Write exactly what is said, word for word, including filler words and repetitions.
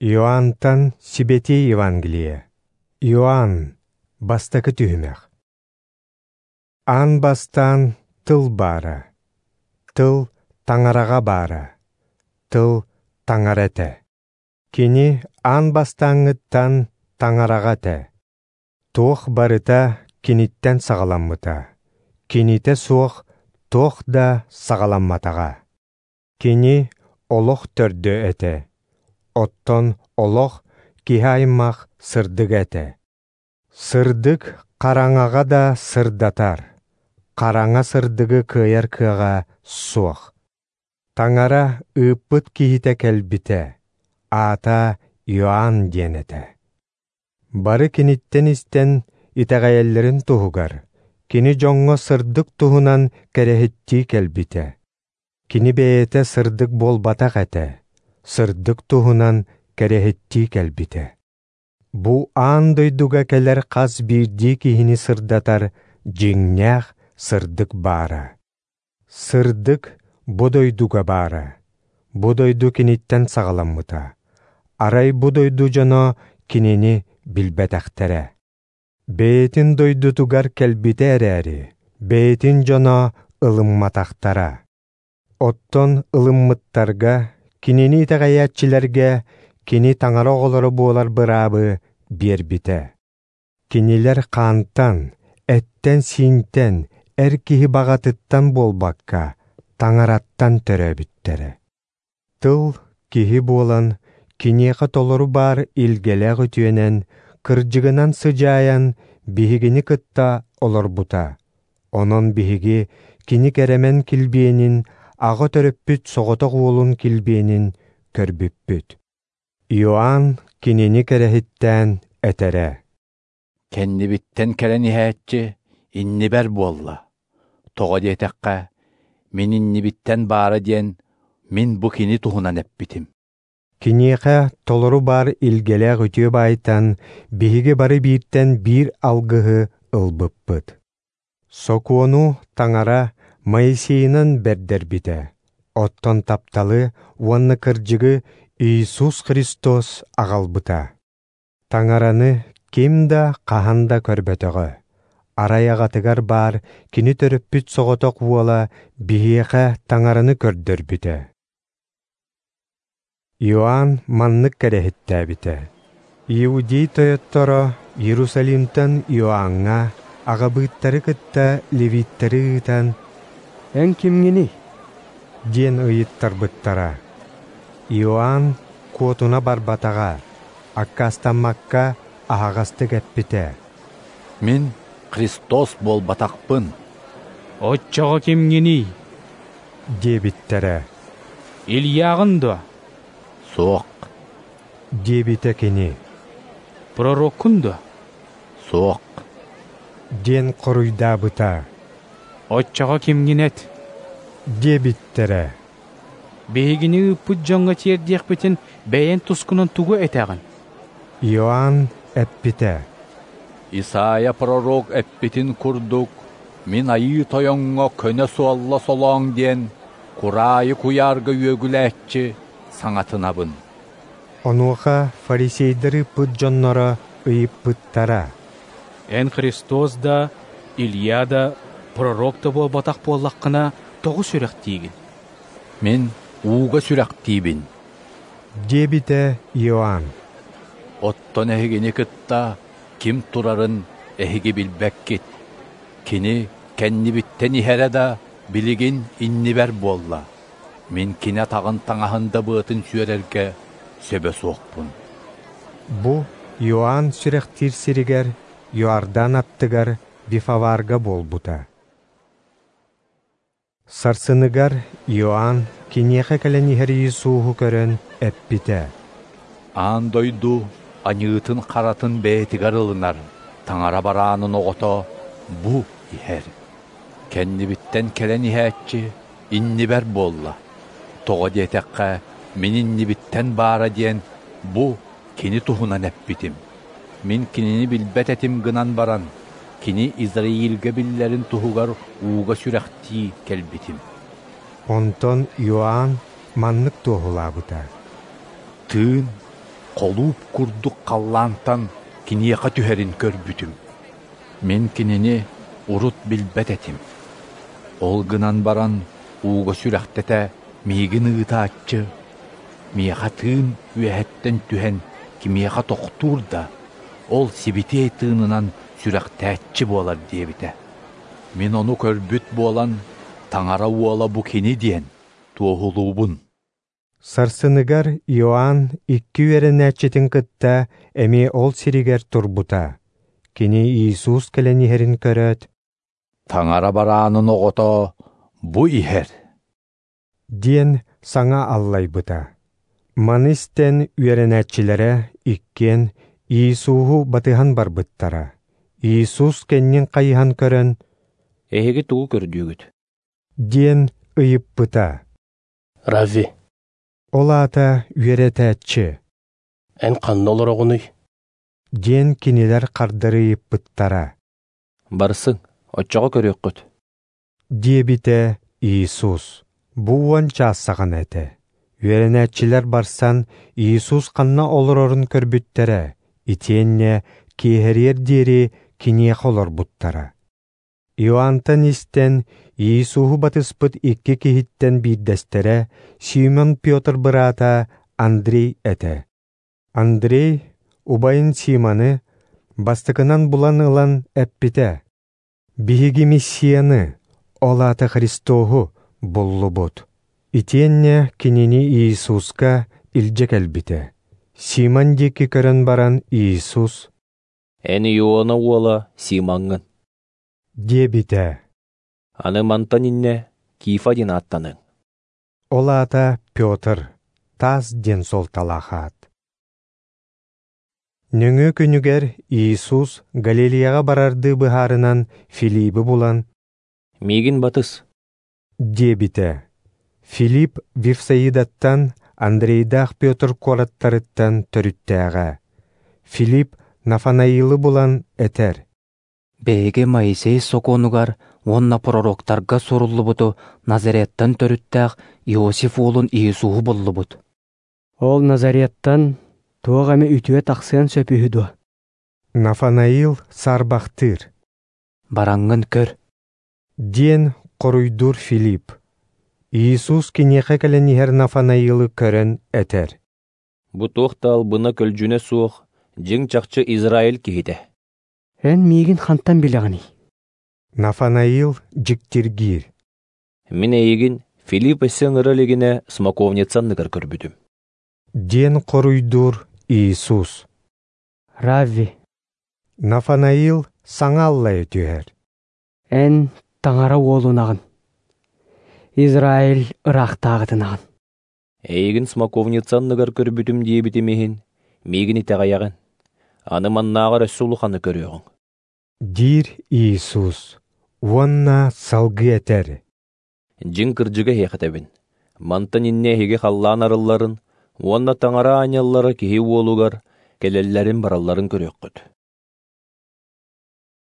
Иоаннтан Сибэтий Евангелие. Иоанн, бастакы түһүмэх. Аан бастаан тыл баара. Тыл таҥараҕа баара. Тыл таҥара этэ. Кини аан бастааҥҥыттан таҥараҕа этэ. Туох барыта киниттэн саҕаламмыта. Кинитэ суох туох да саҕаламматаҕа. Кини олох төрдө этэ. Оттон олох киһи аймах сырдыга этэ. Сырдык хараҥаҕа да сырдатар, хараҥа сырдыгы кыайар кыаҕа суох. Таҥара ыыппыт киһитэ кэлбитэ, аата Иоанн диэн этэ. Бары киниттэн истэн итэҕэйэллэрин туһугар, кини дьоҥҥо сырдык туһунан кэрэһиттии кэлбитэ. Кини бэйэтэ сырдык буолбатах этэ, сырдык туһунан кэрэһиттии кэлбитэ. Бу аан дойдуга кэлэр хас биирдии киһини сырдатар дьиҥнээх сырдык баара. Сырдык бу дойдуга баара. Бу дойду киниттэн саҕаламмыта. Арай бу дойду дьоно кинини билбэтэхтэрэ. Бэйэтин дойдутугар кэлбитэ эрээри, бэйэтин дьоно ылымматахтара. Оттон ылыммыттарга, кинини итэҕэйээччилэргэ кини таҥара оҕолоро буолар быраабы биэрбитэ. Кинилэр хаантан, эттэн-сиинтэн, эр киһи баҕатыттан буолбакка, таҥараттан төрөөбүттэрэ. Тыл киһи буолан, киниэхэ толору баар илгэлээх үтүөнэн, кырдьыгынан сыдьаайан, биһигини кытта олорбута. Онон биһиги кини кэрэмэн килбиэнин, аҕа төрөппүт соҕотох уолун килбиэнин көрбүппүт. Иоанн кинини кэрэһиттээн этэрэ: Кэннибиттэн кэлэн иһээччи иннибэр буолла. Тоҕо диэтэххэ, мин иннибиттэн баара диэн мин бу кини туһунан эппитим. Киниэхэ толору баар илгэлээх үтүө баайтан биһиги бары бииртэн биир алгыһы ылбыппыт. Сокуону таҥара Моисейынан бэрдэрбитэ. Оттон тапталы уонна кырдьыгы Иисус Христос аҕалбыта. Таҥараны ким да хаһан да көрбөтөҕө. Арай аҕатыгар баар кини төрөппүт соҕотох уола биһиэхэ таҥараны көрдөрбүтэ. Иоанн маннык кэрэһиттээбитэ. Иудей тойотторо Иерусалимтан Иоанҥа аҕабыыттары кытта левиттэри ыытан «Эн кимҥиний?» диэн ыйыттарбыттара. Иоанн куотуна барбатаҕа, аккаастаммакка аһаҕастык эппитэ: «Мин Христос буолбатахпын». «Оччоҕо кимҥиний?» диэбиттэрэ. «Ильяҕын дуо?» «Суох» диэбитэ кини. «Пророккун дуо?» «Суох» диэн хоруйдаабыта. «Оччоҕо кимҥин эт?» диэбиттэрэ. «Биһигини ыыппыт дьоҥҥо тиэрдиэхпитин бэйэҥ тускунан тугу этэҕин?» Иоанн эппитэ: Исайя пророк эппитин курдук, мин айыы тойоҥҥо көнө суолла солооҥ диэн кураайы куйаарга үөгүлээччи саҥатынабын. Онуоха фарисейдар ыыппыт дьонноро ыйыппыттара: «Эн Христос да, Илья да, пророк да буолбатах буоллаххына, тоҕо сүрэхтиигин?» «Мин ууга сүрэхтиибин» диэбитэ Иоанн. «Оттон эһигини кытта ким турарын эһиги билбэккит. Кини кэннибиттэн иһэрэ да билигин иннибэр буолла. Мин кини атаҕын таҥаһын да быатын сүөрэргэ сөбө суохпун». Бу Иоанн сүрэхтиир сиригэр Иордан аттыгар Вифаварга буолбута. Сарсыныгар Иоанн киниэхэ кэлэн иһэр Иисуһу көрөн эппитэ: «Аан дойду аньыытын харатын бэйэтигэр ылынар, таҥара бараанын оҕото бу иһэр. Кэннибиттэн кэлэн иһээччи иннибэр буолла. Тоҕо диэтэххэ, мин иннибиттэн баара диэн бу кини туһунан эппитим. Мин кинини билбэт этим гынан баран, кини Израильгэ биллэрин туһугар ууга сүрэхтии кэлбитим». Онтон Иоанн маннык туоһулаабыта: «Тыын холууп курдук халлаантан киниэхэ түһэрин көрбүтүм. Мин кинини урут билбэт этим. Ол гынан баран ууга сүрэхтэтэ миигин ыытааччы, миэхэ тыын үөһэттэн түһэн кимиэхэ тохтуур да, ол сибитиэй тыынынан сүрэхтээччи буолар диэбитэ. Мин ону көрбүт буолан, Таҥара уола бу кини диэн туоһулуубун. Сарсыныгар Иоанн икки үөрэнээччитин кытта эмиэ ол сиригэр турбута. Кини Иисус кэлэн иһэрин көрөөт, «Таҥара бараанын оҕото бу иһэр» диэн саҥа аллайбыта. Маны истэн үөрэнээччилэрэ иккиэн Иисуһу батыһан барбыттара. Иисус кэннин хайыһан көрөн, «Эһиги тугу көрдүүгүт?» диэн ыйыппыта. «Равви, Ол аата үөрэтээччи эн ханна олороҕунуй?» диэн кинилэр хардары ыйыппыттара. «Барсыҥ, оччоҕо көрүөххүт» диэбитэ Иисус. Бу уон чаас саҕана этэ. Үөрэнээччилэр барсан Иисус ханна олорорун көрбүттэрэ, итиэннэ киэһэриэр диэри киниэхэ олорбуттара. Иоаннтан истэн Иисуһу батыспыт икки киһиттэн биирдэстэрэ Симон Петр быраата Андрей этэ. Андрей убайын Симоны бастакынан булан ылан эппитэ: «Биһиги Мессияны, ол аата Христоһу, буллубут». Итиэннэ кинини Иисуска илдьэ кэлбитэ. Симон диэки көрөн баран Иисус: «Эн Иона уола Симоҥҥын» диэбитэ. «Аны мантан иннэ Кифа диэн ааттаныҥ». Ол аата Петр, таас диэн суолталаах аат. Нөҥүө күнүгэр Иисус Галилеяҕа барардыы быһаарынан Филиппи булан, «Миигин батыс» диэбитэ. Филипп Вифсаидаттан, Андрейдаах Петр куораттарыттан төрүттээҕэ. Филипп Нафанаилы булан этэр: «Биһиги Моисей сокуонугар уонна пророктарга суруллубуту Назареттан төрүттээх Иосиф уолун Иисуһу буллубут». Ол Назареттан туох эмэ үтүө тахсыан сөп үһү дуо? Нафанаил саарбахтыыр. «Бараҥҥын көр» диэн хоруйдуур Филипп. Иисус киниэхэ кэлэн иһэр Нафанаилы көрөн этэр: «Бу туох да албына-көлдьүнэ суох, дьиҥ-чахчы Израиль киһитэ». Эн миигин хантан билэҕиний? Нафанаил дьиктиргиир. «Мин эйигин Филипп өссө ыҥыра илигинэ смоковница анныгар көрбүтүм» диэн хоруйдуур Иисус. Равви, Нафанаил саҥа аллайа түһэр. Эн Таҥара уолунаҕын, Израиль ыраахтааҕытынаҕын. «Эйигин смоковница анныгар көрбүтүм диэбитим иһин, миигин итэҕэйэҕин. Аны маннааҕар өссө улаханы көрүөҕүҥ» диир Иисус уонна салгыы этэр: «Дьиҥ кырдьыга эһиэхэ этэбин, мантан иннэ эһиги халлаан арылларын уонна Таҥара аанньаллара киһи уолугар кэлэллэрин баралларын көрүөххүт».